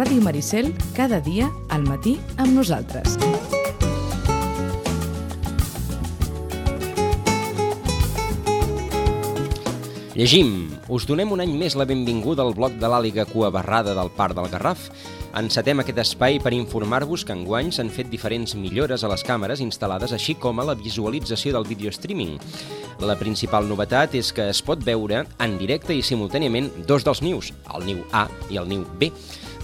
Ràdio Maricel, cada dia al matí amb nosaltres. Llegim. Us donem un any més la benvinguda al bloc de l'Àliga Cua Barrada del Parc del Garraf. Encetem aquest espai per informar-vos que enguany s'han fet diferents millores a les càmeres instal·lades, així com a la visualització del vídeo streaming. La principal novetat és que es pot veure en directe i simultàniament dos dels nius, el niu A i el niu B.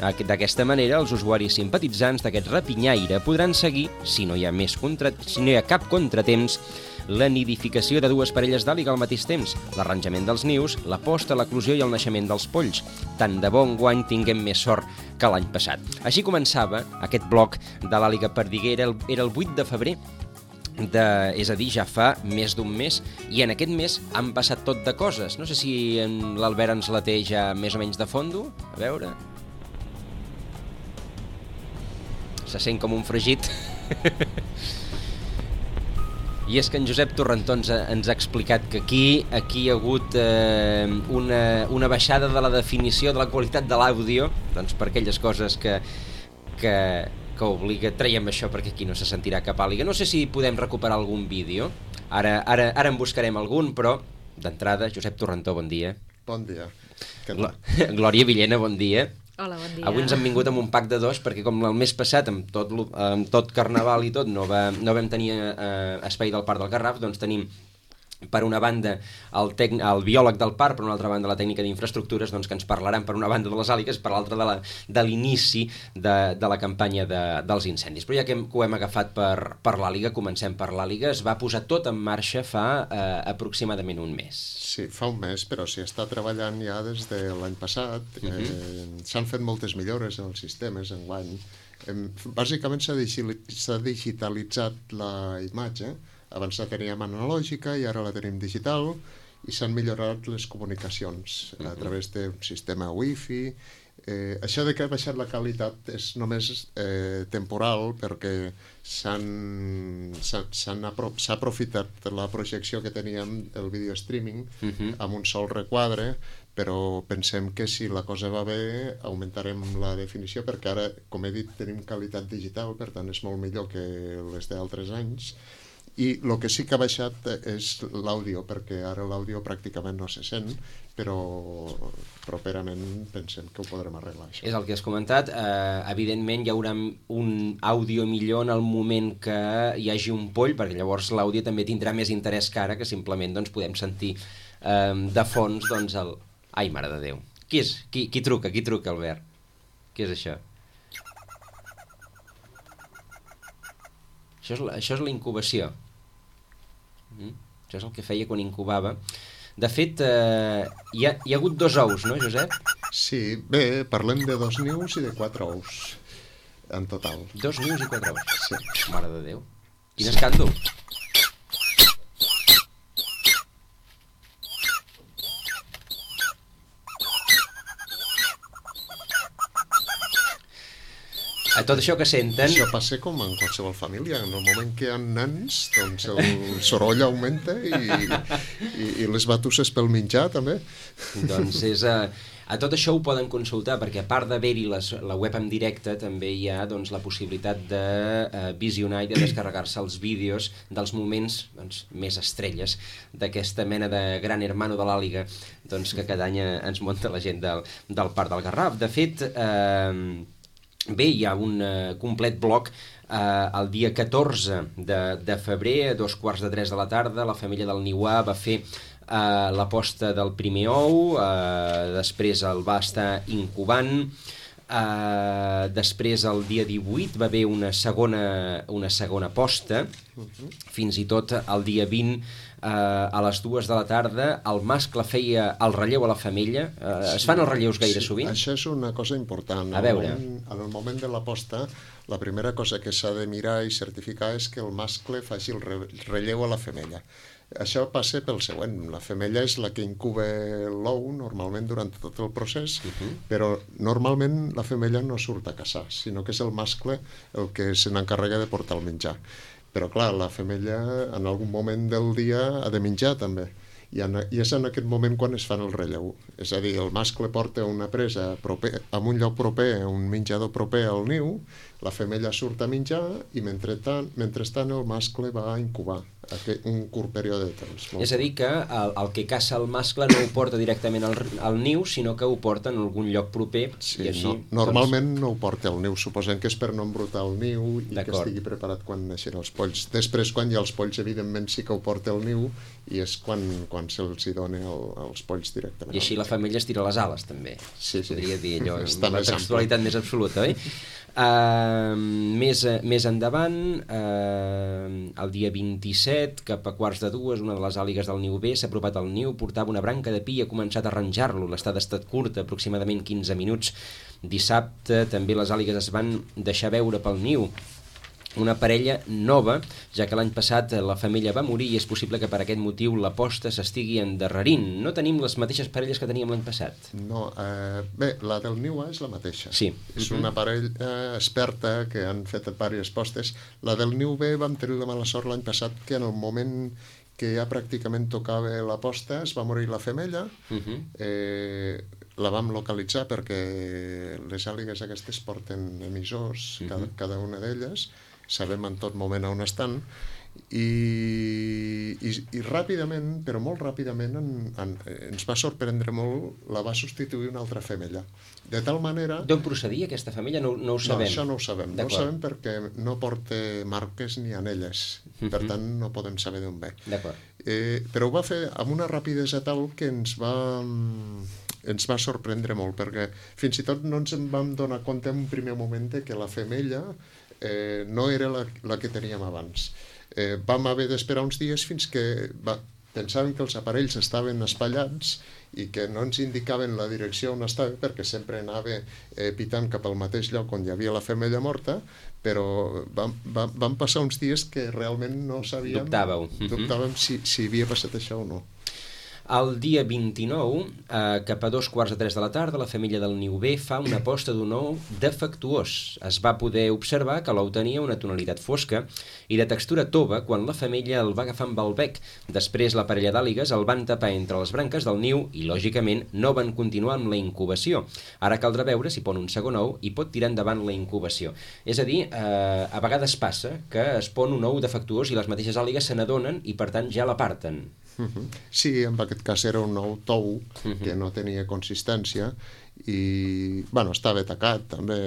D'aquesta manera, els usuaris simpatitzants d'aquest rapinyaire podran seguir, si no hi ha cap contratemps, la nidificació de dues parelles d'àliga al mateix temps, l'arranjament dels nius, la posta, l'eclosió i el naixement dels polls. Tant de bo enguany tinguem més sort que l'any passat. Així començava aquest bloc de l'Àliga Perdiguera, era el 8 de febrer, és a dir, ja fa més d'un mes, i en aquest mes han passat tot de coses. No sé si l'Albert ens la té ja més o menys de fondo. A veure... Se sent com un fregit. I és que en Josep Torrentó ens ha explicat que aquí hi ha hagut una baixada de la definició de la qualitat de l'àudio, doncs per aquelles coses que obliga, traiem això perquè aquí no se sentirà cap àliga. No sé si podem recuperar algun vídeo, ara en buscarem algun, però d'entrada, Josep Torrentó, bon dia. Bon dia. Glòria Villena, bon dia. Hola, bon dia. Avui ens han vingut amb un pack de dos perquè com el mes passat amb tot Carnaval i tot no vam tenir espai del Parc del Garraf, doncs tenim per una banda el biòleg del parc, per una altra banda la tècnica d'infraestructures, doncs que ens parlaran per una banda de les àligues, per l'altra de l'inici de la campanya dels incendis. Però ja que ho hem agafat per l'àliga, comencem per l'àliga. Es va posar tot en marxa fa aproximadament un mes. Sí, fa un mes, però s'hi està treballant ja des de l'any passat. S'han fet moltes millores en els sistemes enguany. Bàsicament s'ha digitalitzat la imatge. Abans la teníem analògica i ara la tenim digital, i s'han millorat les comunicacions a través d'un sistema wifi. Això de que ha baixat la qualitat és només temporal, perquè s'ha aprofitat la projecció que teníem, el video streaming, amb un sol requadre, però pensem que si la cosa va bé augmentarem la definició, perquè ara, com he dit, tenim qualitat digital, per tant és molt millor que les d'altres anys. I el que sí que ha baixat és l'àudio, perquè ara l'àudio pràcticament no se sent, però properament pensem que ho podrem arreglar, això. És el que has comentat. Evidentment hi haurà un àudio millor en el moment que hi hagi un poll, perquè llavors l'àudio també tindrà més interès que ara, que simplement doncs, podem sentir de fons doncs, el... Ai, mare de Déu. Qui és? Qui truca, Albert? Què és això? Això és la incubació. Això és el que feia quan incubava. De fet, hi ha hagut 2 ous, no, Josep? Sí, bé, parlem de 2 nius i de 4 ous, en total. 2 nius i 4 ous? Sí. Mare de Déu. Quin escàndol. A tot això que senten... Això passa com en qualsevol família. En el moment que hi ha nens, doncs el soroll augmenta i les batusses pel menjar, també. Doncs a tot això ho poden consultar, perquè a part d'haver-hi la web en directe, també hi ha doncs, la possibilitat de visionar i de descarregar-se els vídeos dels moments doncs, més estrelles d'aquesta mena de gran hermano de l'àliga doncs, que cada any ens munta la gent del Parc del Garraf. De fet... Bé, hi ha un complet bloc el dia 14 de febrer, a 2:45 de la tarda, la família del Niuà va fer la posta del primer ou, després el va estar incubant, després el dia 18 va haver una segona posta, fins i tot el dia 20 a les 2 de la tarda el mascle feia el relleu a la femella. Es fan els relleus gaire sovint? Això és una cosa important. A veure. En el moment de la posta, la primera cosa que s'ha de mirar i certificar és que el mascle faci el relleu a la femella. Això passa pel següent. La femella és la que incuba l'ou normalment durant tot el procés, però normalment la femella no surt a caçar, sinó que és el mascle el que se n'encarrega de portar el menjar. Però clar, la femella en algun moment del dia ha de menjar també, i és en aquest moment quan es fan el relleu. És a dir, el mascle porta una presa en un lloc proper, un menjador proper al niu, la femella surt a menjar i mentrestant el mascle va a incubar un curt període de temps. És a dir, que el que caça el mascle no ho porta directament al niu, sinó que ho porta en algun lloc proper. Sí, i així, normalment no ho porta al niu, suposem que és per no embrutar el niu i que estigui preparat quan neixen els polls. Després, quan hi ha els polls, evidentment sí que ho porta al niu i és quan se'ls hi dona els polls directament. I així la femella estira les ales, també. Sí. Podria dir allò, amb la textualitat més absoluta, oi? Més endavant, el dia 27, cap a 1:45, una de les àligues del niu B s'ha apropat al niu, portava una branca de pi i ha començat a arranjar-lo. L'estada ha estat curta, aproximadament 15 minuts. Dissabte també les àligues es van deixar veure pel niu. Una parella nova, ja que l'any passat la femella va morir i és possible que per aquest motiu la posta s'estigui endarrerint. No tenim les mateixes parelles que teníem l'any passat. No, bé, la del niu A és la mateixa. Sí. És una parella experta que han fet diverses postes. La del niu B vam tenir la mala sort l'any passat que en el moment que ja pràcticament tocava la posta es va morir la femella. La vam localitzar perquè les àligues aquestes porten emissors, cada una d'elles, sabem en tot moment on estan, i ràpidament, però molt ràpidament, ens va sorprendre molt, la va substituir una altra femella. De tal manera... D'on procedia aquesta femella? No ho sabem. No, això no ho sabem. No ho sabem perquè no porta marques ni anelles. Per tant, no podem saber d'on ve. D'acord. Però ho va fer amb una rapidesa tal que ens va sorprendre molt, perquè fins i tot no ens en vam donar compte en un primer moment que la femella no era la que teníem abans. Vam haver d'esperar uns dies fins que pensàvem que els aparells estaven espatllats i que no ens indicaven la direcció on estava, perquè sempre anava pitant cap al mateix lloc on hi havia la femella morta, però vam passar uns dies que realment no sabíem... Dubtàvem si havia passat això o no. El dia 29, cap a 2:45 de la tarda, la femella del niu B fa una posta d'un ou defectuós. Es va poder observar que l'ou tenia una tonalitat fosca i de textura tova quan la femella el va agafar amb el bec. Després la parella d'àligues el van tapar entre les branques del niu i, lògicament, no van continuar amb la incubació. Ara caldrà veure si pon un segon ou i pot tirar endavant la incubació. És a dir, a vegades passa que es pon un ou defectuós i les mateixes àligues se n'adonen i, per tant, ja l'aparten. Sí, en aquest cas era un ou tou que no tenia consistència i, bueno, estava tacat també,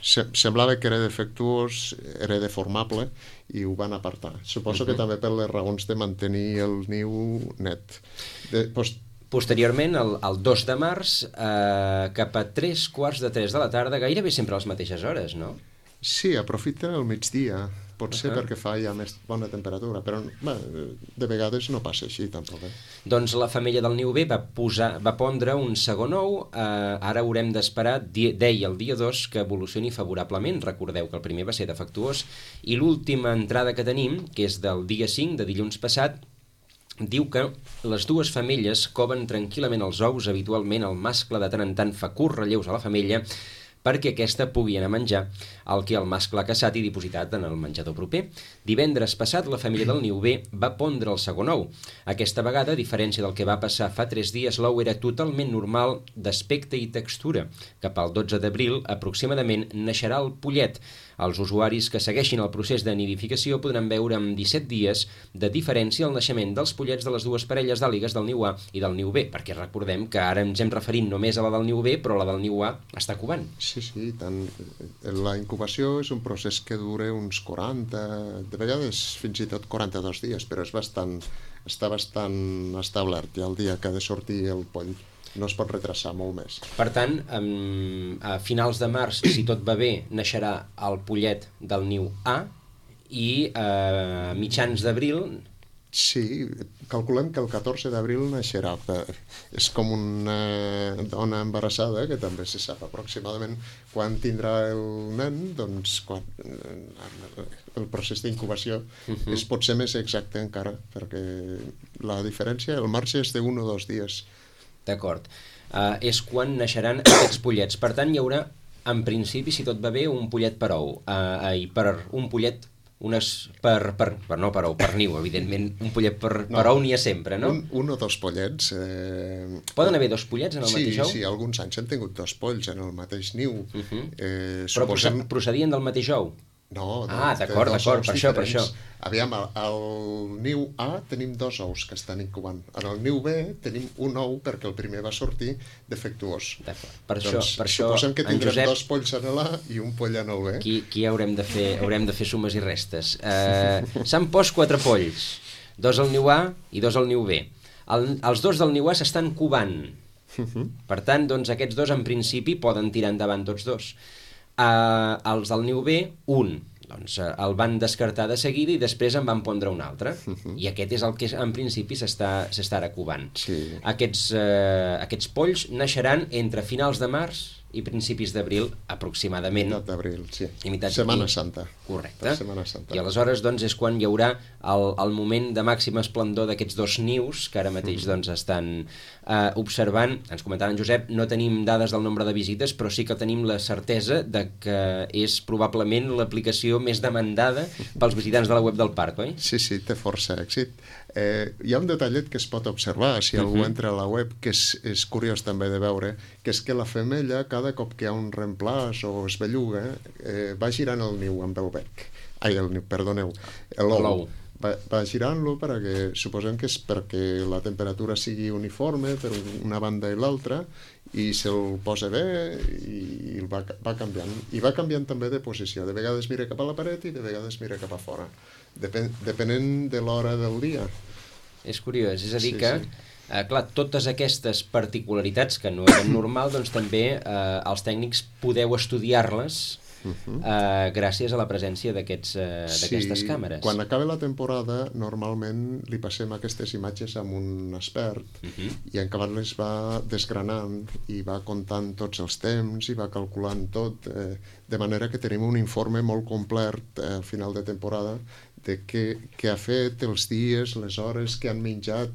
semblava que era defectuós, era deformable i ho van apartar. Suposo que també per les raons de mantenir el niu net. Posteriorment, el 2 de març, cap a 2:45 de la tarda, gairebé sempre a les mateixes hores, no? Sí, aprofiten el migdia. Pot ser perquè fa ja més bona temperatura, però de vegades no passa així, tampoc. Doncs la femella del niu B va pondre un segon ou. Ara haurem d'esperar, deia el dia 2, que evolucioni favorablement. Recordeu que el primer va ser defectuós. I l'última entrada que tenim, que és del dia 5, de dilluns passat, diu que les dues femelles coven tranquil·lament els ous. Habitualment el mascle de tant en tant fa curts relleus a la femella perquè aquesta pugui anar a menjar el que el mascle ha caçat i dipositat en el menjador proper. Divendres passat, la família del niu B va pondre el segon ou. Aquesta vegada, a diferència del que va passar fa 3 dies, l'ou era totalment normal d'aspecte i textura. Cap al 12 d'abril, aproximadament, naixerà el pollet. Els usuaris que segueixin el procés de nidificació podran veure amb 17 dies de diferència el naixement dels pollets de les dues parelles d'àligues del niu A i del niu B, perquè recordem que ara ens hem referint només a la del niu B, però la del niu A està covant. Sí, tant. La incubació és un procés que dura uns 40, de vegades fins i tot 42 dies, però està bastant establert ja el dia que ha de sortir el poll. No es pot retrasar molt més. Per tant, a finals de març, si tot va bé, naixerà el pollet del niu A i a mitjans d'abril... Sí, calculem que el 14 d'abril naixerà. És com una dona embarassada, que també se sap aproximadament quan tindrà el nen, doncs el procés d'incubació pot ser més exacte encara, perquè la diferència, el marge és de 1 o 2 dies. D'acord. És quan naixeran aquests pollets. Per tant, hi haurà, en principi, si tot va bé, un pollet per ou. Per un pollet, per niu, evidentment, un pollet per ou n'hi ha sempre, no? Un o dos pollets. Poden haver dos pollets en el mateix ou? Sí, alguns anys hem tingut dos polls en el mateix niu. Però procedien del mateix ou? No, d'acord, per això. Aviam, al niu A tenim dos ous que estan incubant. En el niu B tenim un ou perquè el primer va sortir defectuós. Per això, suposem que tindrem dos polls en l'A i un poll en el B. Aquí haurem de fer sumes i restes. S'han post 4 polls, 2 al niu A i 2 al niu B. Els 2 del niu A s'estan cubant. Per tant, doncs, aquests dos en principi poden tirar endavant tots dos. Els del niu B, un doncs el van descartar de seguida i després en van pondre un altre. I aquest és el que en principi s'estarà cubant. Aquests polls naixeran entre finals de març i principis d'abril, aproximadament. Mitat d'abril, sí. Setmana Santa. Correcte. I aleshores doncs, és quan hi haurà el moment de màxima esplendor d'aquests dos nius que ara mateix doncs, estan observant. Ens comentava en Josep, no tenim dades del nombre de visites, però sí que tenim la certesa de que és probablement l'aplicació més demandada pels visitants de la web del parc, oi? Sí, té força èxit. Hi ha un detallet que es pot observar si algú entra a la web, que és curiós també de veure, que és que la femella, cada cop que hi ha un reemplaç o es belluga, va girant el niu amb el bec. L'ou. Va girant-lo perquè suposem que és perquè la temperatura sigui uniforme per una banda i l'altra i se'l posa bé i va canviant. I va canviant també de posició. De vegades mira cap a la paret i de vegades mira cap a fora. Depenent de l'hora del dia. És curiós, és a dir que clar, totes aquestes particularitats que no eren normal, doncs també els tècnics podeu estudiar-les gràcies a la presència d'aquestes càmeres. Quan acaba la temporada normalment li passem aquestes imatges amb un expert i en acabat les va desgranant i va comptant tots els temps i va calculant tot, de manera que tenim un informe molt complet al final de temporada de què ha fet, els dies, les hores que han menjat,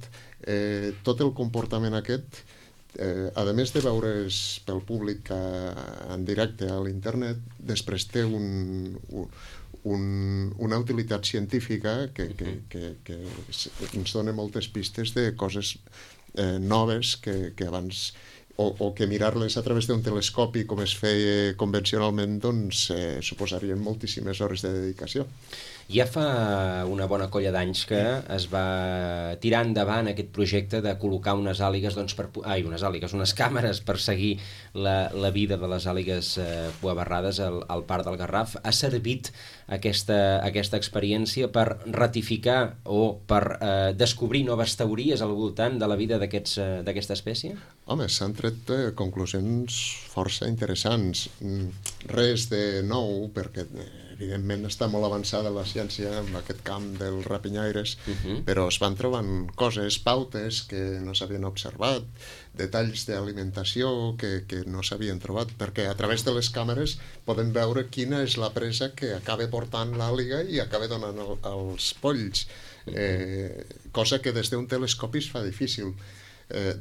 tot el comportament aquest. A més de veure's pel públic en directe a l'internet, després té una utilitat científica que ens dona moltes pistes de coses noves que abans o que mirar-les a través d'un telescopi com es feia convencionalment doncs suposarien moltíssimes hores de dedicació. Ja fa una bona colla d'anys que es va tirar endavant aquest projecte de col·locar unes càmeres per seguir la vida de les àligues cuabarrades al Parc del Garraf. Ha servit aquesta experiència per ratificar o per descobrir noves teories al voltant de la vida d'aquesta espècie? Home, s'han tret conclusions força interessants. Res de nou, perquè evidentment està molt avançada la ciència en aquest camp dels rapinyaires, però es van trobant coses, pautes que no s'havien observat, detalls d'alimentació que no s'havien trobat, perquè a través de les càmeres podem veure quina és la presa que acaba portant l'àliga i acaba donant els polls, cosa que des d'un telescopi es fa difícil.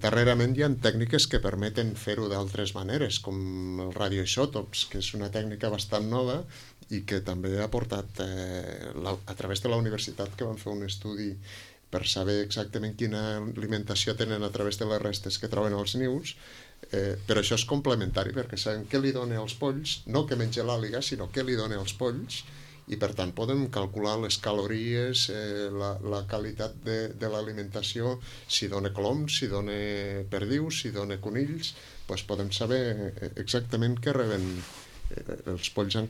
Darrerament hi ha tècniques que permeten fer-ho d'altres maneres, com els radioisòtops, que és una tècnica bastant nova i que també ha portat, a través de la universitat, que van fer un estudi per saber exactament quina alimentació tenen a través de les restes que troben als nius, però això és complementari, perquè sabem què li dona als polls, no què menja l'àliga, sinó què li dona als polls, i per tant podem calcular les calories, la qualitat de l'alimentació, si dona coloms, si dona perdius, si dona conills, doncs podem saber exactament què reben els polls en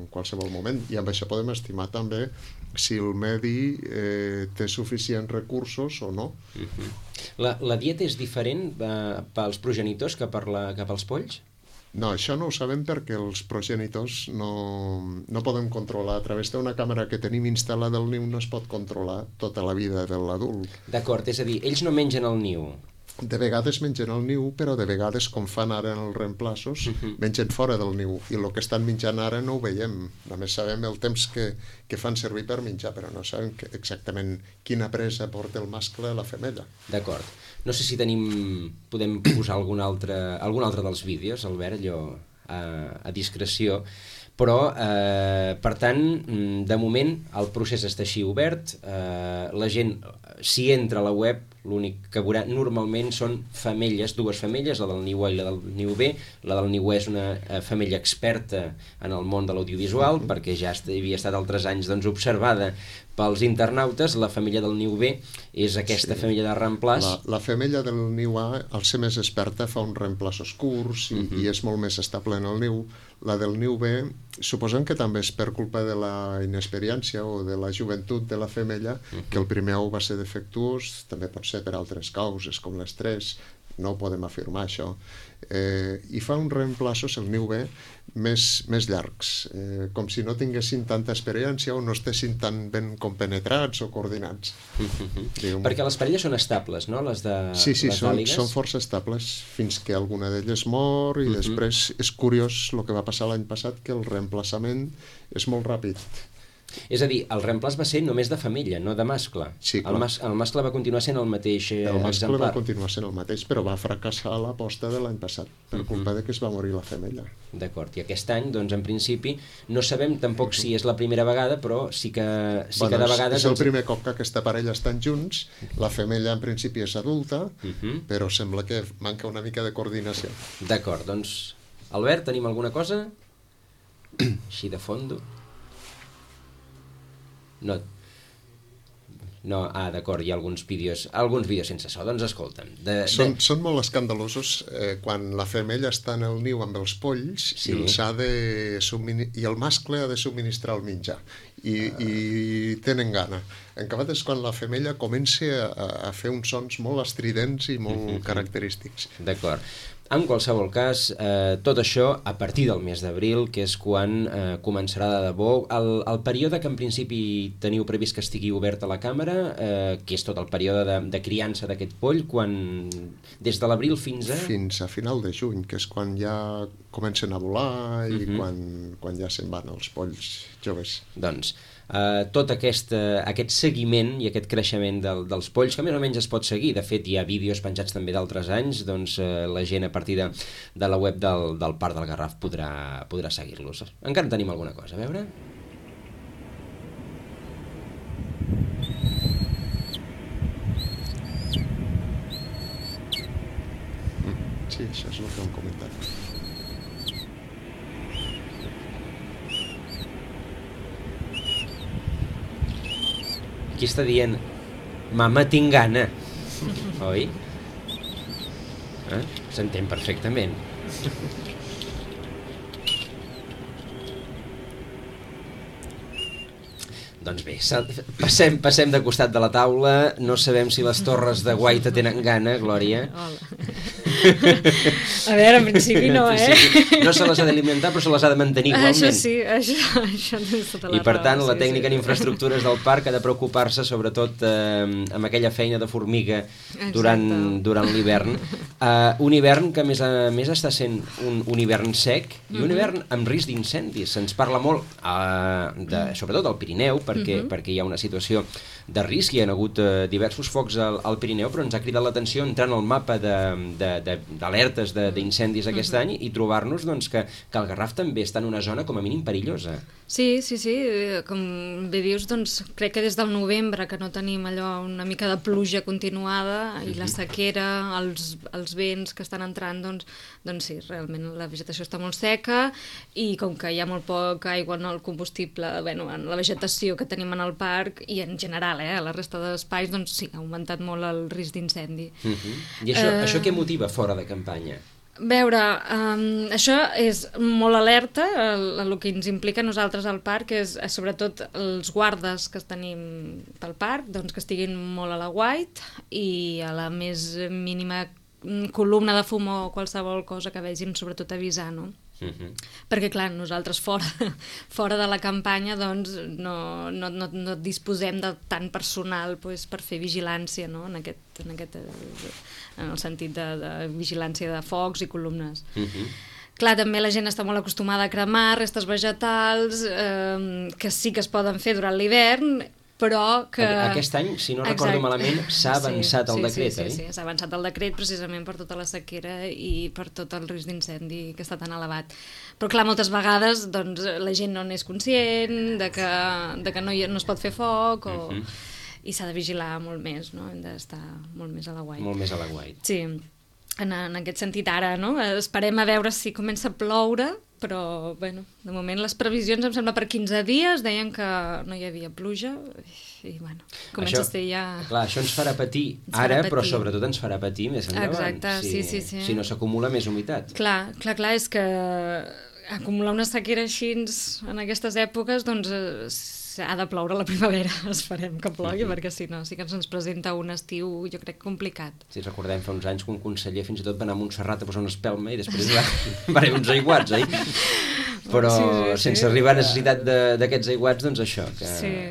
qualsevol moment, i amb això podem estimar també si el medi té suficients recursos o no. La dieta és diferent pels progenitors que pels polls? No, això no ho sabem perquè els progenitors no podem controlar. A través d'una càmera que tenim instal·lada al niu no es pot controlar tota la vida de l'adult. D'acord, és a dir, ells no mengen el niu. De vegades mengen el niu, però de vegades, com fan ara en els reemplaços, mengen fora del niu, i el que estan menjant ara no ho veiem. Només sabem el temps que fan servir per menjar, però no sabem exactament quina presa porta el mascle a la femella. D'acord. No sé si podem posar algun altre dels vídeos, Albert, allò a discreció, Però, per tant, de moment el procés està així obert, la gent, si entra a la web, l'únic que veurà normalment són femelles, dues femelles, la del niu A i la del niu B. La del niu A és una femella experta en el món de l'audiovisual, perquè ja havia estat altres anys observada pels internautes. La femella del niu B és aquesta femella de reemplaç. La femella del niu A, al ser més experta, fa uns reemplaços curts i és molt més estable en el niu. La del niu B, suposem que també és per culpa de la inexperiència o de la joventut de la femella, que el primer ou va ser defectuós, també pot ser per altres causes, com l'estrès, no podem afirmar això. I fa uns reemplaços, el niu B, més llargs, com si no tinguessin tanta experiència o no estessin tan ben compenetrats o coordinats. Perquè les parelles són estables, no? Les de sí, les d'àligues? són força estables fins que alguna d'elles mor i després és curiós el que va passar l'any passat, que el reemplaçament és molt ràpid. És a dir, el reemplaç va ser només de femella, no de mascle. Sí, el mascle va continuar sent el mateix exemplar. El mascle va continuar sent el mateix, però va fracassar l'aposta de l'any passat per culpa de que es va morir la femella. D'acord, i aquest any, doncs, en principi, no sabem tampoc si és la primera vegada, però sí que cada vegada... És el primer cop que aquesta parella estan junts, la femella en principi és adulta, però sembla que manca una mica de coordinació. D'acord, doncs, Albert, tenim alguna cosa? Així de fondo. No, d'acord, hi ha alguns vídeos sense so, doncs escolta'm. Són molt escandalosos quan la femella està en el niu amb els polls i el mascle ha de subministrar el menjar i tenen gana. En acabat és quan la femella comença a fer uns sons molt estridents i molt característics. D'acord. En qualsevol cas, tot això a partir del mes d'abril, que és quan començarà de debò. El període que en principi teniu previst que estigui obert a la càmera, que és tot el període de criança d'aquest poll, des de l'abril fins a... Fins a final de juny, que és quan ja comencen a volar i quan ja se'n van els polls joves. Doncs tot aquest seguiment i aquest creixement dels polls, que més o menys es pot seguir. De fet, hi ha vídeos penjats també d'altres anys, doncs la gent a partir de la web del Parc del Garraf podrà seguir-los. Encara en tenim alguna cosa, a veure? Sí, això és el que hem comentat. Aquí està dient, mama, tinc gana, oi? S'entén perfectament. Doncs bé, passem de costat de la taula. No sabem si les torres de Guaita tenen gana, Glòria. Hola. A veure, en principi no, No se les ha d'alimentar, però se les ha de mantenir igualment. Això sí, això tens tota la raó. I per tant, la tècnica en infraestructures del parc ha de preocupar-se sobretot amb aquella feina de formiga durant l'hivern. Un hivern que a més està sent un hivern sec i un hivern amb risc d'incendis. Se'ns parla molt, sobretot al Pirineu, perquè hi ha una situació de risc, hi ha hagut diversos focs al Pirineu, però ens ha cridat l'atenció entrant al mapa d'alertes d'incendis aquest any i trobar-nos que el Garraf també està en una zona com a mínim perillosa. Sí, com bé dius, doncs crec que des del novembre que no tenim allò una mica de pluja continuada i la sequera, els vents que estan entrant, doncs sí, realment la vegetació està molt seca i com que hi ha molt poca aigua en el combustible, en la vegetació que tenim en el parc i en general, a la resta d'espais, doncs sí, ha augmentat molt el risc d'incendi. I això què motiva fora de campanya? Veure, això és molt alerta, el que ens implica a nosaltres al parc és sobretot els guardes que tenim pel parc, doncs que estiguin molt a la guait i a la més mínima columna de fum o qualsevol cosa que vegin, sobretot avisar, no? Perquè clar, nosaltres fora de la campanya doncs no disposem de tant personal per fer vigilància, no? en el sentit de vigilància de focs i columnes. Clar, també la gent està molt acostumada a cremar restes vegetals que sí que es poden fer durant l'hivern però que... Aquest any, si no recordo malament, s'ha avançat el decret, oi? Sí, s'ha avançat el decret precisament per tota la sequera i per tot el risc d'incendi que està tan elevat. Però clar, moltes vegades doncs, la gent no n'és conscient de que no es pot fer foc i s'ha de vigilar molt més, no? Hem d'estar molt més a l'aguait. Molt més a l'aguait. Sí, en aquest sentit ara, no? Esperem a veure si comença a ploure, però, bueno, de moment les previsions, em sembla, per 15 dies deien que no hi havia pluja i, bueno, comença a ser ja... Clar, això ens farà patir ara, però sobretot ens farà patir més endavant. Exacte, sí. Si no s'acumula més humitat. Clar, és que acumular una sequera així en aquestes èpoques, doncs ha de ploure a la primavera, esperem que plogui, perquè si no sí que ens presenta un estiu, jo crec, complicat. Sí, recordem fa uns anys que un conseller fins i tot va anar a Montserrat a posar una espelma i després va haver uns aiguats, oi? Però sense arribar a necessitat d'aquests aiguats, doncs això.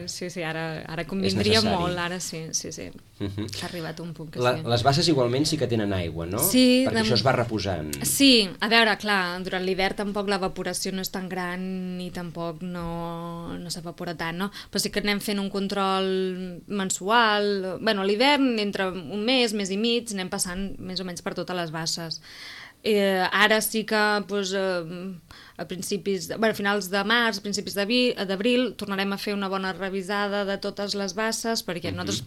Sí, ara convindria molt, ara sí. Ha arribat un punt que sí. Les basses igualment sí que tenen aigua, no? Sí. Perquè això es va reposant. Sí, a veure, clar, durant l'hivern tampoc l'evaporació no és tan gran i tampoc no s'evapora tant, no? Però sí que anem fent un control mensual. Bueno, a l'hivern, entre un mes i mig, anem passant més o menys per totes les basses. Ara sí que a finals de març, principis d'abril, tornarem a fer una bona revisada de totes les basses, perquè nosaltres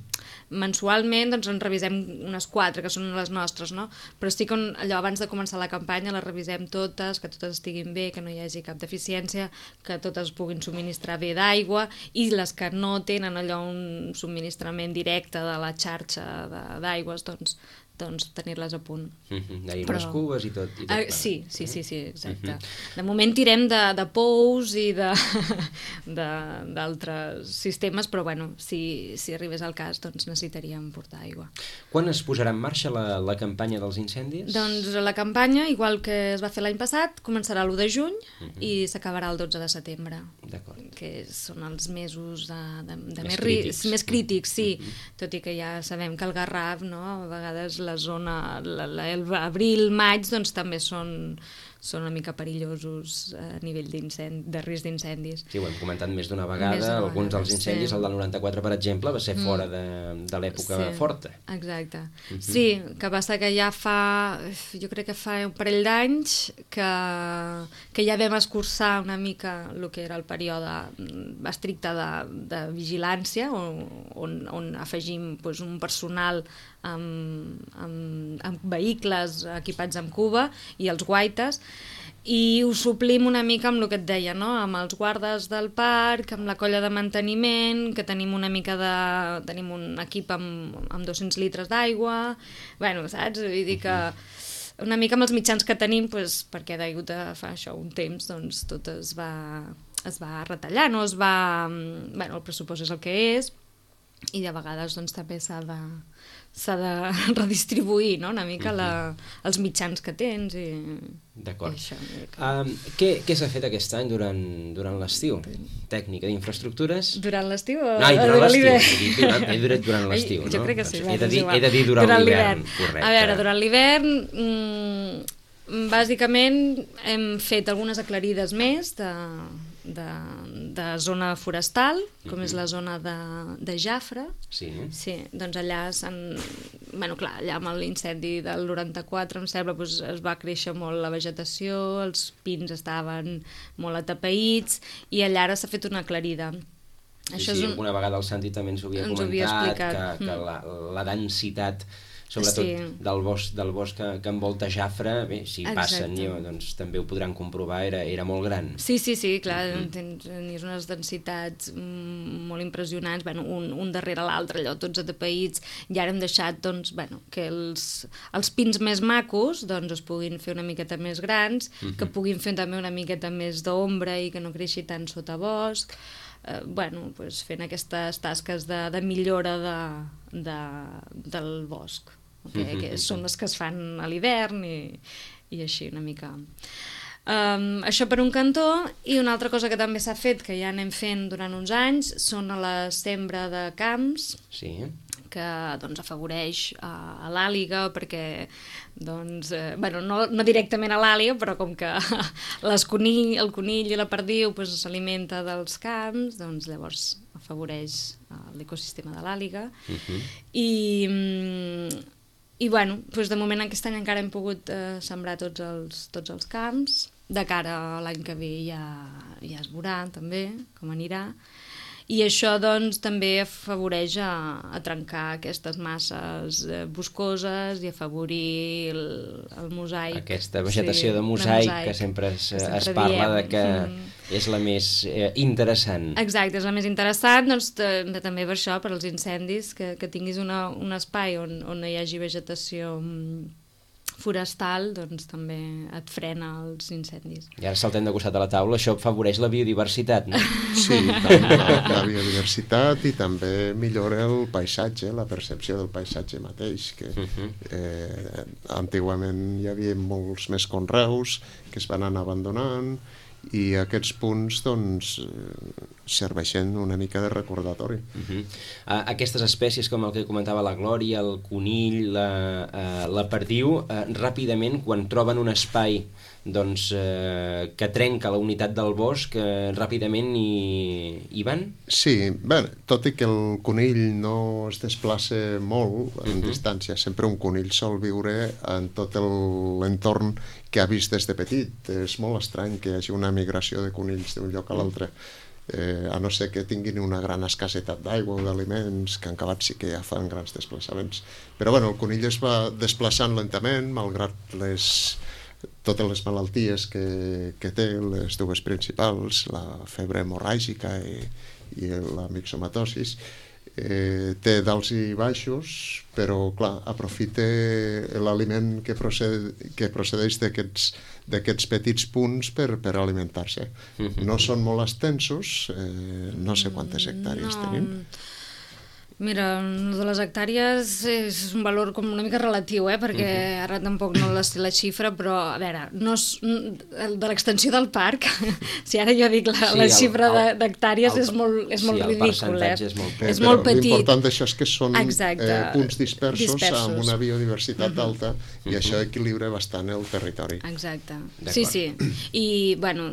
mensualment doncs, en revisem unes 4, que són les nostres, no? Però sí que allò abans de començar la campanya les revisem totes, que totes estiguin bé, que no hi hagi cap deficiència, que totes puguin subministrar bé d'aigua, i les que no tenen allò un subministrament directe de la xarxa d'aigües, doncs tenir-les a punt. D'anar unes cubes i tot. Sí, exacte. De moment tirem de pous i d'altres sistemes, però bueno, si arribés al cas, doncs necessitaríem portar aigua. Quan es posarà en marxa la campanya dels incendis? Doncs la campanya, igual que es va fer l'any passat, començarà l'1 de juny i s'acabarà el 12 de setembre. D'acord. Que són els mesos més crítics, sí. Tot i que ja sabem que el Garraf, no?, a vegades la zona, l'abril, maig, doncs també són una mica perillosos a nivell de risc d'incendis. Sí, ho hem comentat més d'una vegada. Alguns dels incendis, el del 94, per exemple, va ser fora de l'època forta. Exacte. Sí, que passa que ja jo crec que fa un parell d'anys que ja vam escurçar una mica el que era el període estricte de vigilància, on afegim un personal amb vehicles equipats amb cuba i els guaites, i ho suplim una mica amb el que et deia, no? Amb els guardes del parc, amb la colla de manteniment, que tenim una mica tenim un equip amb 200 litres d'aigua, bueno, saps? Vull dir que una mica amb els mitjans que tenim, perquè degut a fa això un temps, doncs tot es va retallant, no? Bueno, el pressupost és el que és, i de vegades doncs també s'ha de redistribuir, no?, una mica els mitjans que tens i... D'acord. Què s'ha fet aquest any durant l'estiu? Tècnica d'infraestructures? Durant l'estiu o durant l'estiu? He durat durant l'estiu, no? Jo crec que sí. He de dir durant l'hivern, correcte. A veure, durant l'hivern, bàsicament hem fet algunes aclarides més de zona forestal, com és la zona de Jafre. Sí. Sí, doncs allà bueno, clar, allà amb l'incendi del 94, em sembla, es va créixer molt la vegetació, els pins estaven molt atapeïts, i allà ara s'ha fet una aclarida. Sí, alguna vegada el Santi també ens ho havia comentat, que la densitat, sobretot del bosc que envolta Jafre, bé, si passen, doncs també ho podran comprovar, era molt gran. Sí, clar, tenies unes densitats molt impressionants, bueno, un darrere l'altre, allò, tots atapeïts, i ara hem deixat, doncs, bueno, que els pins més macos, doncs, es puguin fer una miqueta més grans, que puguin fer també una miqueta més d'ombra i que no creixi tant sota bosc, bueno, fent aquestes tasques de millora del bosc, que són les que es fan a l'hivern i així una mica. Això per un cantó, i una altra cosa que també s'ha fet, que ja anem fent durant uns anys, són a la sembra de camps, que doncs, afavoreix a l'àliga, perquè doncs, no directament a l'àliga, però com que el conill i la perdiu s'alimenta dels camps, doncs llavors afavoreix l'ecosistema de l'àliga. I bueno, doncs de moment aquest any encara hem pogut sembrar tots els camps. De cara a l'any que ve ja es veurà també com anirà. I això doncs també afavoreix a trencar aquestes masses boscoses i afavorir el mosaic. Aquesta vegetació de mosaic que sempre es parla de que és la més interessant. Exacte, és la més interessant, doncs també per això, per als incendis, que tinguis un espai on hi hagi vegetació forestal, doncs també et frena els incendis. I ara saltem de costat a la taula, això afavoreix la biodiversitat, no? Sí, la biodiversitat i també millora el paisatge, la percepció del paisatge mateix, que antigament hi havia molts més conreus que es van anar abandonant i aquests punts doncs serveixen una mica de recordatori. Aquestes espècies com el que comentava la Glòria, el conill, la perdiu, ràpidament quan troben un espai doncs, que trenca la unitat del bosc, ràpidament hi van? Sí, bé, tot i que el conill no es desplaça molt en distància, sempre un conill sol viure en tot l'entorn que ha vist des de petit. És molt estrany que hi hagi una migració de conills d'un lloc a l'altre, a no ser que tinguin una gran escassetat d'aigua o d'aliments, que en acabat sí que ja fan grans desplaçaments. Però bueno, el conill es va desplaçant lentament, malgrat totes les malalties que té, les dues principals, la febre hemorràgica i la mixomatosis. Té dalts i baixos, però clar, aprofita l'aliment que procedeix d'aquests petits punts per alimentar-se. No són molt extensos, no sé quantes hectàrees tenim. Mira, de les hectàrees és un valor com una mica relatiu, perquè ara tampoc no la sé la xifra, però a veure, de l'extensió del parc, si ara jo dic la xifra d'hectàrees és molt ridícul. El percentatge és molt petit. L'important d'això és que són punts dispersos amb una biodiversitat alta i això equilibra bastant el territori. Exacte, sí. I, bueno,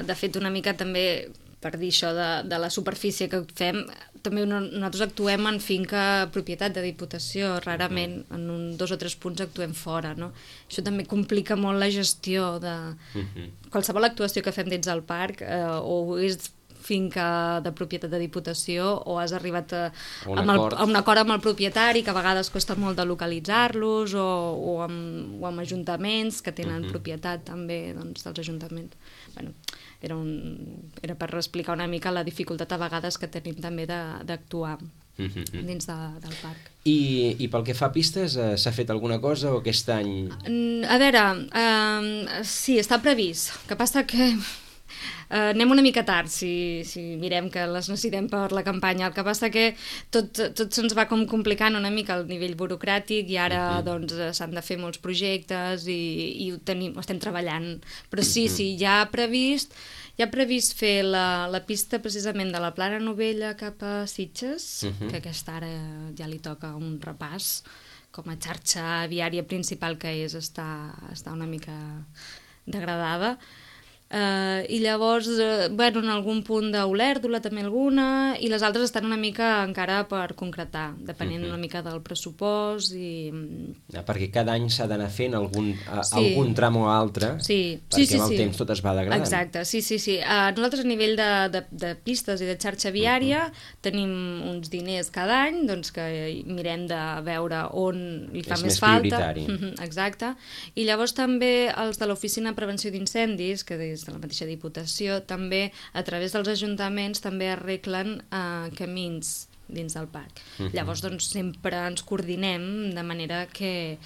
de fet una mica també per dir això de la superfície que fem, també nosaltres actuem en finca propietat de Diputació, rarament en 2 o 3 punts actuem fora, no? Això també complica molt la gestió de qualsevol actuació que fem dins del parc, o és finca de propietat de Diputació o has arribat a un acord amb el propietari, que a vegades costa molt de localitzar-los, o amb ajuntaments que tenen propietat també dels ajuntaments. Bueno, era per explicar una mica la dificultat a vegades que tenim també d'actuar dins del parc. I pel que fa a pistes, s'ha fet alguna cosa o aquest any? A veure, sí, està previst. El que passa que anem una mica tard si mirem que les necessitem per la campanya. El que passa que tot se'ns va com complicant una mica el nivell burocràtic i ara doncs s'han de fer molts projectes i ho estem treballant. Però sí, ja ha previst fer la pista precisament de la Plana Novella cap a Sitges, que aquesta ara ja li toca un repàs, com a xarxa viària principal que està una mica degradada. I llavors, en algun punt d'Olèrdola també alguna, i les altres estan una mica encara per concretar, depenent una mica del pressupost perquè cada any s'ha d'anar fent algun tram o altre, perquè amb el temps tot es va degradant. Exacte, sí. Nosaltres a nivell de pistes i de xarxa viària tenim uns diners cada any, doncs que mirem de veure on li fa més falta. Exacte. I llavors també els de l'Oficina de Prevenció d'Incendis, que des de la mateixa Diputació, també a través dels ajuntaments també arreglen camins dins del parc. Llavors doncs sempre ens coordinem de manera que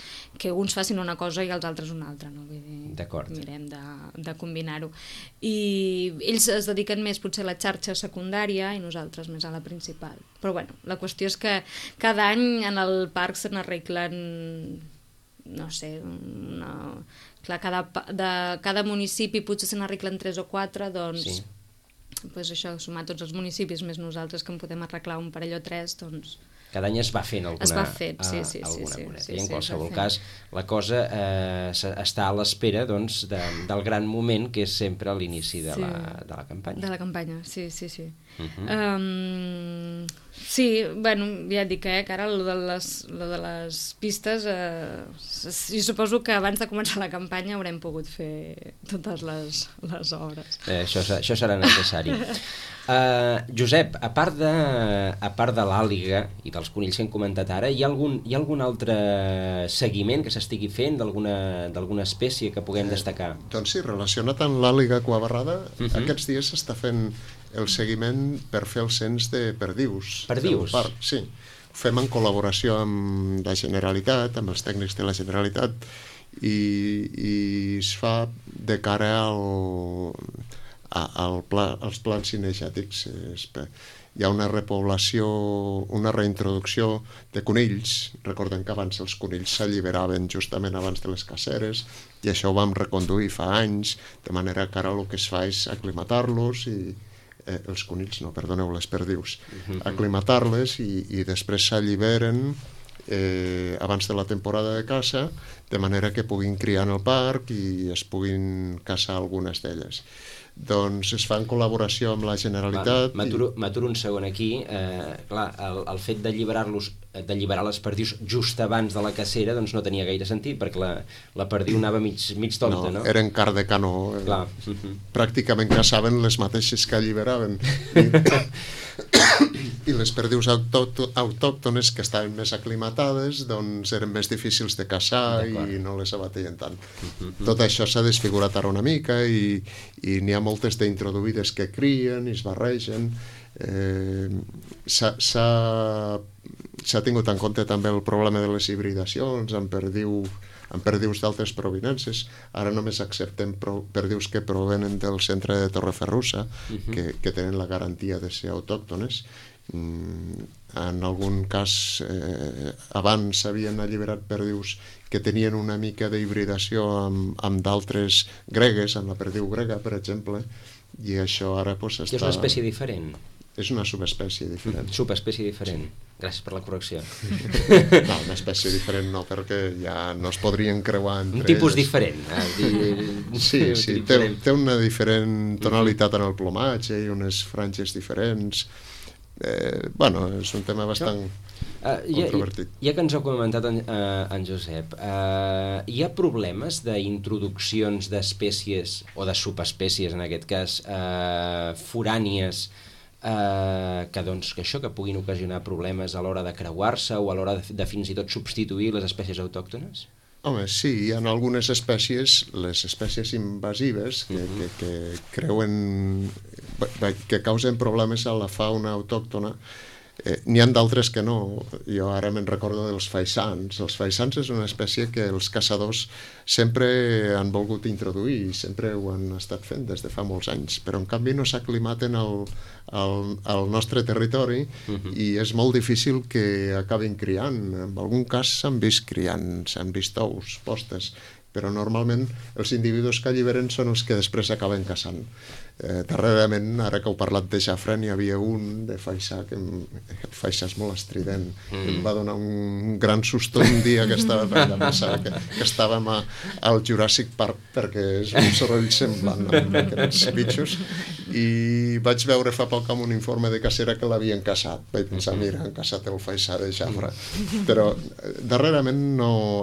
uns facin una cosa i els altres una altra, no? D'acord. Mirem de combinar-ho. I ells es dediquen més potser a la xarxa secundària i nosaltres més a la principal. Però bueno, la qüestió és que cada any en el parc se n'arreglen, no sé, clar, de cada municipi potser se n'arreglen 3 o 4, doncs això, sumar tots els municipis més nosaltres que en podem arreglar un parell o 3, doncs Cada any es va fent alguna moneta. I en qualsevol cas, la cosa està a l'espera del gran moment, que és sempre a l'inici de la campanya. De la campanya, sí. Sí, bueno, ja et dic que ara lo de les pistes, jo suposo que abans de començar la campanya haurem pogut fer totes les obres. Això serà necessari. Josep, a part de l'àliga i dels conills que hem comentat ara, hi ha algun altre seguiment que s'estigui fent d'alguna espècie que puguem destacar? Doncs sí, relacionat amb l'àliga cuabarrada, aquests dies s'està fent el seguiment per fer el cens de perdius. Perdius? Sí, ho fem en col·laboració amb la Generalitat, amb els tècnics de la Generalitat, i es fa de cara als plans cinegètics. Hi ha una repoblació, una reintroducció de conills. Recordem que abans els conills s'alliberaven justament abans de les caceres, i això ho vam reconduir fa anys, de manera que ara el que es fa és aclimatar-los els conills, no, perdoneu, les perdius, aclimatar-les i després s'alliberen abans de la temporada de caça, de manera que puguin criar en el parc i es puguin caçar algunes d'elles. Doncs es fa en col·laboració amb la Generalitat. M'aturo un segon aquí. Clar, el fet d'alliberar les perdius just abans de la cacera doncs no tenia gaire sentit, perquè la perdiu anava mig tonta, no? Eren car de canó. Pràcticament caçaven les mateixes que alliberaven. I les perdius autòctones, que estaven més aclimatades, doncs eren més difícils de caçar i no les abateien tant. Tot això s'ha desfigurat ara una mica i n'hi ha moltes d'introduïdes que crien i es barregen. S'ha tingut en compte també el problema de les hibridacions amb perdius d'altres provinences. Ara només acceptem perdius que provenen del centre de Torreferrusa, que tenen la garantia de ser autòctones. En algun cas abans s'havien alliberat perdius que tenien una mica d'hibridació amb d'altres gregues, amb la perdiu grega, per exemple, i això ara està... És una espècie diferent? És una subespècie diferent. Subespècie diferent. Gràcies per la correcció. No, una espècie diferent no, perquè ja no es podrien creuar entre un tipus diferent. Sí, té una diferent tonalitat en el plomatge i unes franges diferents. Bueno, és un tema bastant controvertit. Ja que ens ha comentat en Josep, hi ha problemes d'introduccions d'espècies, o de subespècies en aquest cas, forànies, que puguin ocasionar problemes a l'hora de creuar-se o a l'hora de fins i tot substituir les espècies autòctones? Home, sí, hi ha algunes espècies, les espècies invasives, que creuen, que causen problemes a la fauna autòctona. N'hi ha d'altres que no. Jo ara me'n recordo dels faisans. Els faisans és una espècie que els caçadors sempre han volgut introduir i sempre ho han estat fent des de fa molts anys, però en canvi no s'aclimaten al nostre territori i és molt difícil que acabin criant. En algun cas s'han vist criant, s'han vist ous, postes, però normalment els individus que alliberen són els que després acaben caçant. Darrerament, ara que heu parlat de xafra, n'hi havia un de faisà, que el faisà és molt estrident, em va donar un gran susto un dia que estava pensant que estàvem al Jurassic Park, perquè és un soroll semblant amb aquests bitxos, i vaig veure fa poc amb un informe de cacera que l'havien caçat. Vaig pensar, mira, han caçat el faisà de xafra. Però darrerament,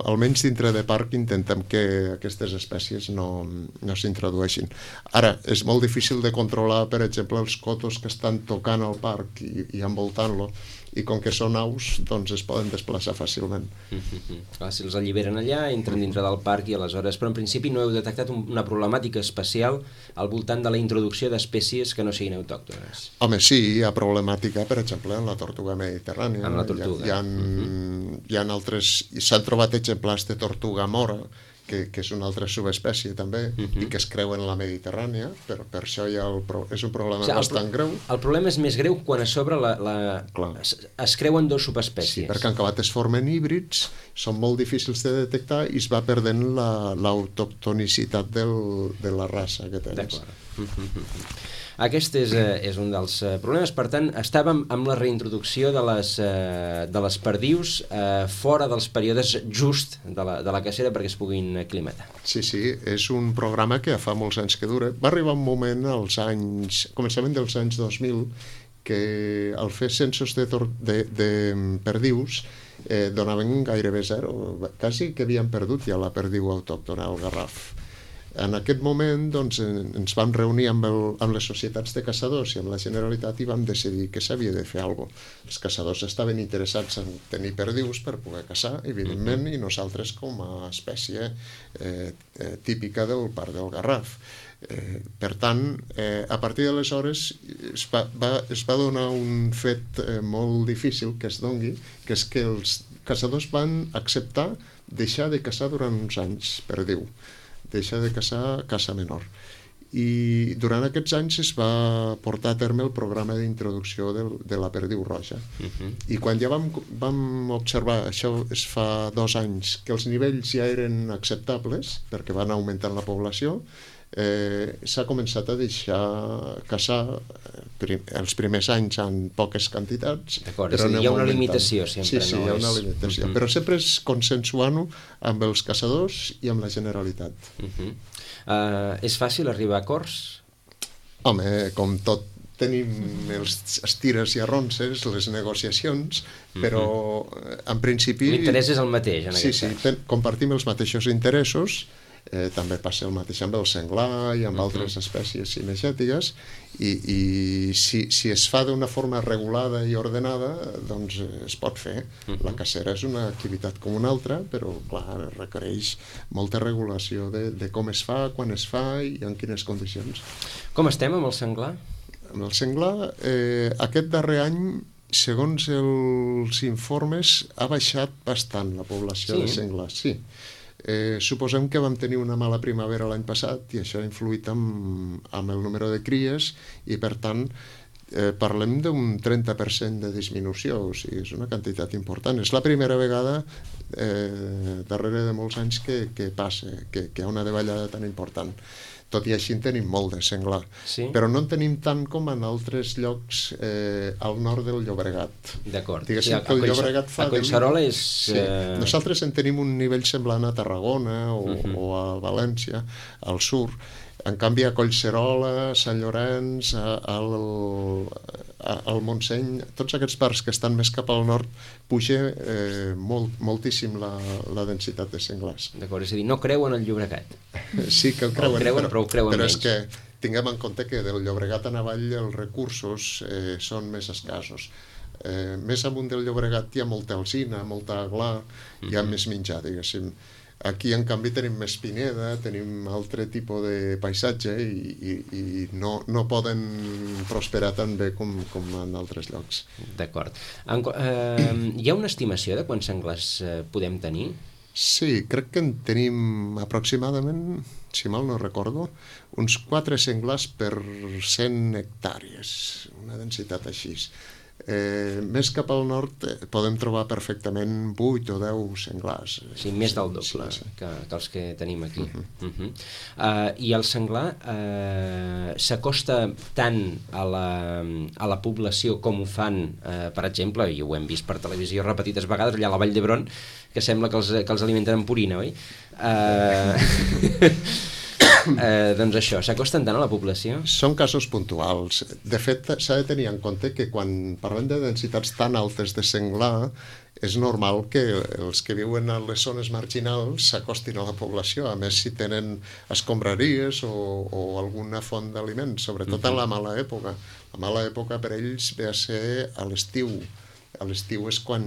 almenys dintre de parc, intentem que aquestes espècies no s'introdueixin. Ara, és molt difícil de controlar, per exemple, els cotos que estan tocant el parc i envoltant-lo, i com que són aus, doncs es poden desplaçar fàcilment. Si els alliberen allà, entren dintre del parc i aleshores... Però en principi no heu detectat una problemàtica especial al voltant de la introducció d'espècies que no siguin autòctones? Home, sí, hi ha problemàtica, per exemple, en la tortuga mediterrània. En la tortuga. Hi ha altres... S'han trobat exemplars de tortuga mora, que és una altra subespècie també, i que es creuen en la Mediterrània, però per això és un problema bastant greu. El problema és més greu quan a sobre es creuen dos subespècies. Sí, perquè en acabat es formen híbrids, són molt difícils de detectar i es va perdent l'autoctonicitat de la raça que tens. Aquest és un dels problemes. Per tant, estàvem amb la reintroducció de les perdius fora dels períodes just de la cacera perquè es puguin aclimatar. Sí, és un programa que fa molts anys que dura. Va arribar un moment començament dels anys 2000, que al fer censos de perdius donaven gairebé zero, quasi que havien perdut ja la perdiu autòctona, el garraf. En aquest moment ens vam reunir amb les societats de caçadors i amb la Generalitat i vam decidir que s'havia de fer alguna cosa. Els caçadors estaven interessats en tenir perdius per poder caçar, evidentment, i nosaltres com a espècie típica del Parc del Garraf. Per tant, a partir d'aleshores es va donar un fet molt difícil que es dongui, que és que els caçadors van acceptar deixar de caçar durant uns anys perdiu, deixar de caça menor. I durant aquests anys es va portar a terme el programa d'introducció de la perdiu roja. I quan ja vam observar, això es fa 2 anys, que els nivells ja eren acceptables, perquè van augmentant la població, s'ha començat a deixar caçar els primers anys en poques quantitats. D'acord, és a dir, hi ha una limitació sempre. Sí, hi ha una limitació, però sempre és consensuant-ho amb els caçadors i amb la Generalitat. És fàcil arribar a acords? Home, com tot tenim els tires i arronses, les negociacions, però en principi... L'interès és el mateix, en aquest cas. Sí, compartim els mateixos interessos. També passa el mateix amb el senglar i amb altres espècies cinegètiques, i si es fa d'una forma regulada i ordenada, doncs es pot fer. La cacera és una activitat com una altra, però clar, requereix molta regulació de com es fa, quan es fa i en quines condicions. Com estem amb el senglar? Amb el senglar, aquest darrer any, segons els informes, ha baixat bastant la població de senglars. Sí. Suposem que vam tenir una mala primavera l'any passat i això ha influït amb el número de cries i per tant parlem d'un 30% de disminució, o sigui, és una quantitat important. És la primera vegada darrere de molts anys que passa, que hi ha una davallada tan important. Tot i així en tenim molt de senglar, però no en tenim tant com en altres llocs al nord del Llobregat. D'acord. Diguéssim que el Llobregat fa... A Collserola és... Nosaltres en tenim un nivell semblant a Tarragona o a València, al sur. En canvi, a Collserola, Sant Llorenç, al Montseny, tots aquests parcs que estan més cap al nord, puja moltíssim la densitat de senglars. D'acord, és a dir, no creuen el Llobregat. Sí que el creuen, però ho creuen però menys. és que tinguem en compte que del Llobregat en avall els recursos són més escassos. Més amunt del Llobregat hi ha molta alzina, molta aglà, hi ha més menjar, diguéssim. Aquí, en canvi, tenim més pineda, tenim altre tipus de paisatge i no poden prosperar tan bé com en altres llocs. D'acord. Hi ha una estimació de quants senglars podem tenir? Sí, crec que en tenim aproximadament, si mal no recordo, uns 4 senglars per 100 hectàrees, una densitat així. Més cap al nord podem trobar perfectament 8 o 10 senglars. Sí, més del doble que els que tenim aquí. I el senglar s'acosta tant a la població com ho fan, per exemple, i ho hem vist per televisió repetides vegades, allà a la Vall d'Hebron, que sembla que els alimenten amb purina, oi? Doncs això, s'acosten tant a la població? Són casos puntuals. De fet, s'ha de tenir en compte que quan parlem de densitats tan altes de senglar, és normal que els que viuen a les zones marginals s'acostin a la població, a més si tenen escombraries o alguna font d'aliments, sobretot en la mala època. La mala època per ells ve a ser a l'estiu. A l'estiu és quan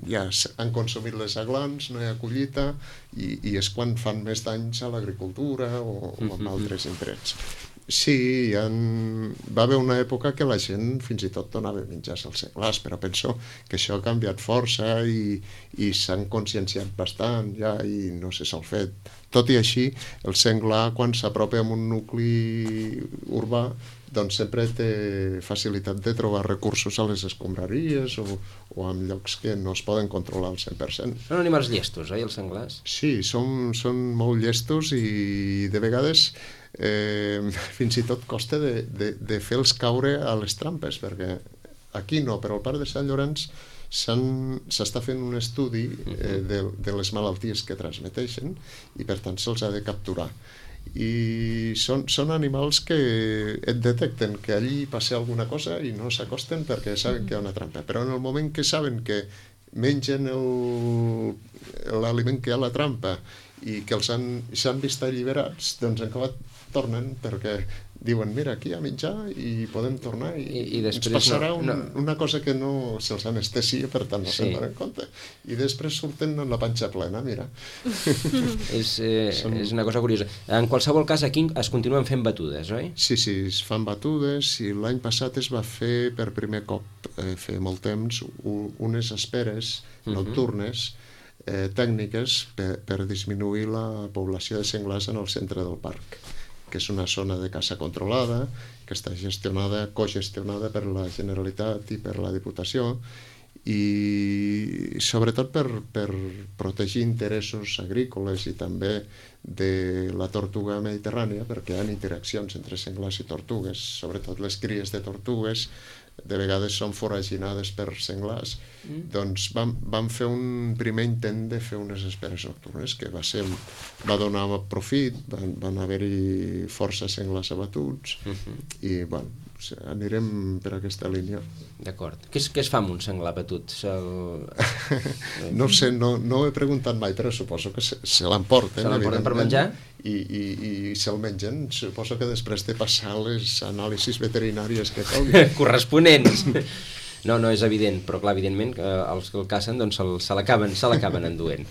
ja han consumit les aglans, no hi ha collita, i és quan fan més danys a l'agricultura o en altres indrets. Sí, va haver una època que la gent fins i tot donava menjars als senglars, però penso que això ha canviat força i s'han conscienciat bastant ja i no se sol fer. Tot i així, el senglar, quan s'apropa a un nucli urbà, doncs sempre té facilitat de trobar recursos a les escombraries o en llocs que no es poden controlar al 100%. Són animals llestos, oi, els senglars? Sí, són molt llestos i de vegades fins i tot costa de fer-los caure a les trampes, perquè aquí no, però al Parc de Sant Llorenç s'està fent un estudi de les malalties que transmeteixen i per tant se'ls ha de capturar. I són animals que et detecten que allí passa alguna cosa i no s'acosten perquè saben que hi ha una trampa, però en el moment que saben que mengen l'aliment que hi ha a la trampa i que s'han vist alliberats, doncs en acabat tornen perquè diuen, mira, aquí hi ha menjar i podem tornar i ens passarà una cosa que no se'ls anestesia, per tant no se'n donen compte. I després surten amb la panxa plena, mira. És una cosa curiosa. En qualsevol cas, aquí es continuen fent batudes, oi? Sí, es fan batudes i l'any passat es va fer per primer cop, fer molt temps, unes esperes nocturnes tècniques per disminuir la població de senglars en el centre del parc, que és una zona de caça controlada, que està cogestionada per la Generalitat i per la Diputació, i sobretot per protegir interessos agrícoles i també de la tortuga mediterrània, perquè hi ha interaccions entre senglars i tortugues, sobretot les cries de tortugues de vegades són foraginades per senglars. Doncs vam fer un primer intent de fer unes esperes nocturnes que va donar profit, van haver-hi força senglars abatuts i bueno, anirem per aquesta línia. D'acord. Què es fa amb un senglar abatut? No sé, no ho he preguntat mai, però suposo que se l'emporten. Se l'emporten per menjar? I se'l mengen. Suposo que després de passar les anàlisis veterinàries que calguin. Corresponents. No, és evident, però clar, evidentment els que el cacen doncs se l'acaben enduent.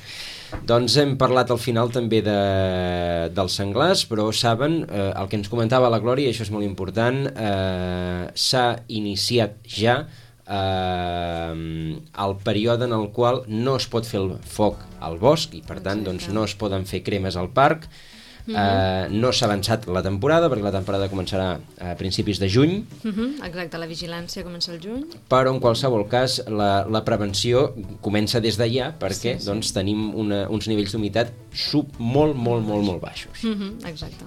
Doncs hem parlat al final també dels senglars, però saben, el que ens comentava la Glòria, i això és molt important, s'ha iniciat ja el període en el qual no es pot fer el foc al bosc i per tant doncs, no es poden fer cremes al parc. No s'ha avançat la temporada perquè la temporada començarà a principis de juny. Exacte, la vigilància comença al juny, però en qualsevol cas la prevenció comença des d'allà perquè doncs, tenim uns nivells d'humitat molt baixos. Exacte.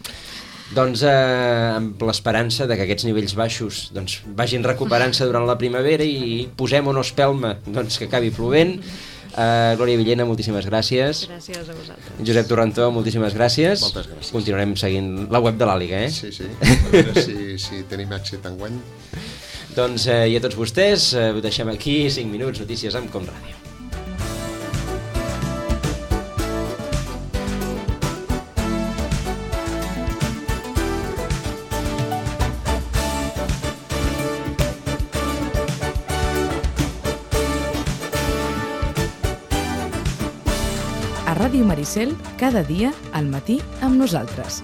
Doncs amb l'esperança de que aquests nivells baixos doncs, vagin recuperant-se durant la primavera i posem o no espelma doncs, que acabi plovent. Glòria Villena, moltíssimes gràcies. Gràcies a vosaltres. Josep Torrentó, moltíssimes gràcies. Moltes gràcies. Continuarem seguint la web de l'Àliga, Sí. A veure si tenim èxit enguany. Doncs i a tots vostès, ho deixem aquí, 5 minuts, notícies amb Com Ràdio. A Ràdio Maricel, cada dia al matí amb nosaltres.